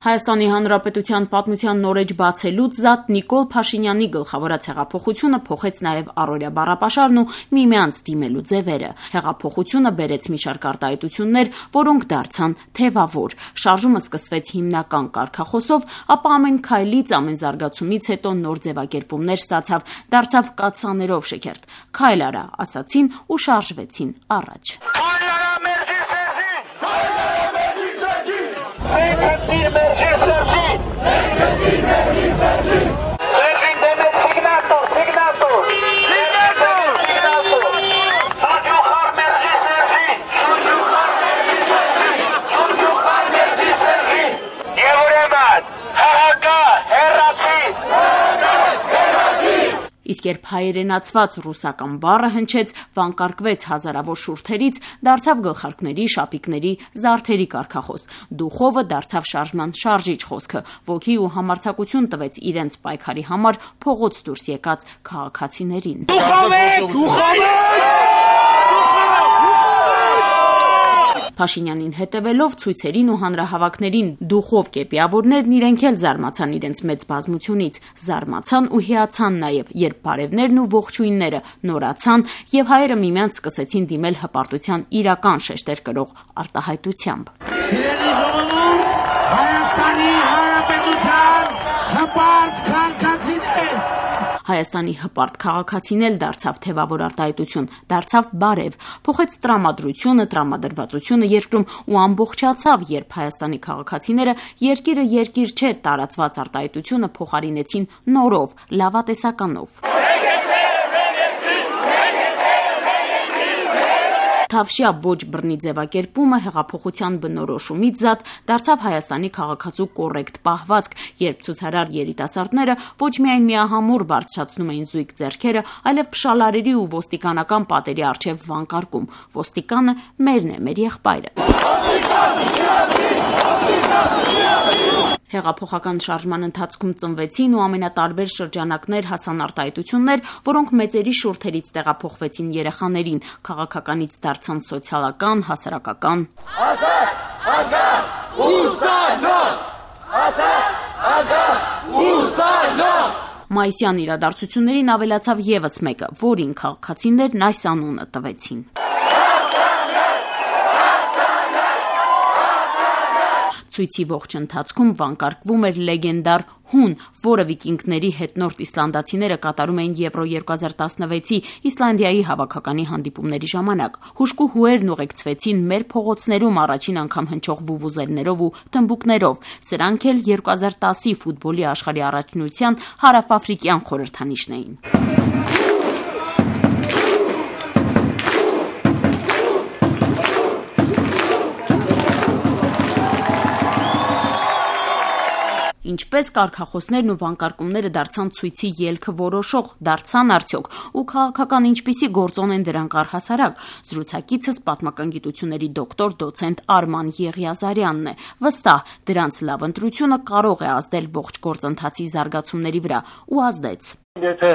Հայաստանի Հանրապետության պատմության նորեջ բացելուց զատ Նիկոլ Փաշինյանի գլխավորած հեղափոխությունը փոխեց նաև առօրյա բառապաշարն ու միմյանց դիմելու ձևերը։ Հեղափոխությունը բերեց մի շարք արտահայտություններ, որոնք դարձան թևավոր։ Շարժումը սկսվեց հիմնական կարգախոսով, ապա ամեն քայլից, ամեն զարգացումից հետո նոր ձևակերպումներ ստացավ, դարձավ կաթսաներով շքերթ։ Քայլ արա, ասացին ու շարժվեցին առաջ։ Իսկ երբ հայերենացված ռուսական բառը հնչեց, վանկարկվեց հազարավոր շուրթերից, դարձավ գլխարկների, շապիկների, զարդերի կարգախոս։ Դուխովը դարձավ շարժման շարժիչ խոսքը, ոգի ու համարձակություն տվեց իրենց պայքարի համար փողոց դուրս եկած քաղաքացիներին։ Փաշինյանին հետևելով ցույցերին ու հանրահավաքներին դուխով կեպիավորներն իրենք էլ զարմացան իրենց մեծ բազմությունից, զարմացան ու հիացան նաև, երբ բարևներն ու ողջույնները նորացան եւ հայերը միմյանց սկսեցին դիմել հպարտության իրական շեշտեր կրող արտահայտությամբ։ Սիրելի ժողովուրդ, Հայաստանի Հանրապետության հպարտ քաղաքացիներ, Հայաստանի հպարտ քաղաքացին էլ դարձավ թևավոր արտահայտություն, դարձավ բարև, փոխեց տրամադրությունը, տրամադրվածությունը երկրում ու ամբողջացավ, երբ Հայաստանի քաղաքացիները երկիրը երկիր չէ տարածված արտահայտությունը փոխարինեցին նորով, լավատեսականով։ Թավշյա ոչ բռնի ձևակերպումը հեղափոխության բնորոշումից զատ դարձավ Հայաստանի քաղաքացու կոռեկտ պահվածք, երբ ցուցարար երիտասարդները ոչ միայն միահամուռ բարձրացնում էին զույգ ձեռքերը, այլև փշալարերի ու ոստիկանական պատերի առջև վանկարկում. ոստիկանը մերն է, մեր եղբայրը։ Հեղափոխական շարժման ընթացքում ծնվեցին ու ամենատարբեր շրջանակներ հասան արտահայտություններ, որոնք մեծերի շուրթերից տեղափոխվեցին երեխաներին, քաղաքականից դարձան սոցիալական, հասարակական։ Մայիսյան իրադարձություններին ավելացավ եւս մեկը, որին քաղաքացիներն այս անունը տվեցին։ Ցույցի ողջ ընթացքում վանկարկվում էր լեգենդար հուն, որը վիկինգների հետնորդ իսլանդացիները կատարում էին Եվրո 2016-ի Իսլանդիայի հավաքականի հանդիպումների ժամանակ։ Հուժկու հուերն ուղեկցվեցին մեր փողոցներում առաջին անգամ հնչող վուվուզելներով ու թմբուկներով։ Սրանք էլ 2010-ի ֆուտբոլի աշխարհի առաջնության հարավաֆրիկյան խորհրդանիշն էին։ Ինչպես կարգախոսներն ու վանկարկումները դարձան ցույցի ելքը որոշող, դարձան արդյոք, ու քաղաքական ինչպիսի գործոն են դրանք առհասարակ։ Զրուցակիցս պատմական գիտությունների դոկտոր դոցենտ Արման Եղիազարյանն է։ Վստահ, դրանց լավ ընտրությունը կարող է ազդել ողջ գործընթացի զարգացումների վրա ու ազդեց։ Եթե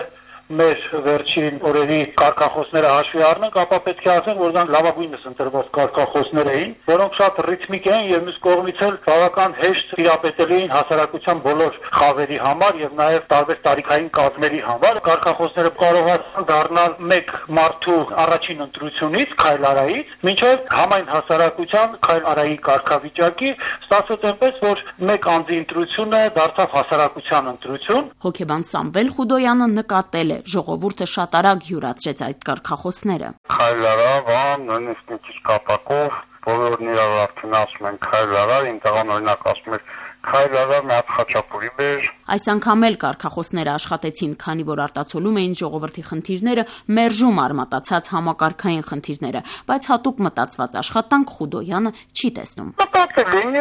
մեր վերջին օրերի կարգախոսները հաշվի առնենք, ապա պետք է ասենք, որ դրանք լավագույնս ընտրված կարգախոսներ էին, որոնք շատ ռիթմիկ էին եւ մյուս կողմից էլ բավական հեշտ տիրապետելի էին հասարակության բոլոր խավերի համար եւ նաեւ տարբեր տարիքային կազմերի համար։ Կարգախոսները կարողացան դառնալ մեկ մարդու առաջին ընտրությունից, քայլարայից, մինչեւ համայն հասարակության քայլարայի կարգավիճակի, ստացվեց այնպես, որ մեկ անձի ընտրությունը դարձավ հասարակության ընտրություն։ Հոգեբան Սամվել Խուդոյանը նկատել է, ժողովուրդը շատ արագ յուրացրեց այդ կարգախոսները։ Քայլարա, նույնիսկ մի քիչ կապակով, բոլորն իրար արդեն ասում են քայլարա, իմ տղան օրինակ ասում էր քայլարա, մի հատ խաչապուրի բեր։ Այս անգամ էլ կարգախոսները աշխատեցին, քանի որ արտացոլում էին ժողովրդի խնդիրները, մերժում արմատացած համակարգային խնդիրները, բայց հատուկ մտածված աշխատանք Խուդոյանը չի տեսնում։ Մտածել են,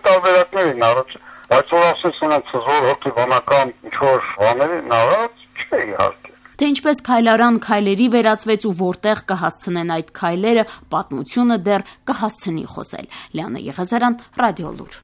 տարբերակներ են առաջ, բայց որ ասես ունեց զոր հոգեբանական ինչ-որ բաներ առաջ, չէ իհարկե։ Թե ինչպես քայլարան քայլերի վերածվեց ու որտեղ կհասցնեն այդ քայլերը, պատմությունը դեռ կհասցնի խոսել։ Լիանա Եղիազարյան, Ռադիոլուր։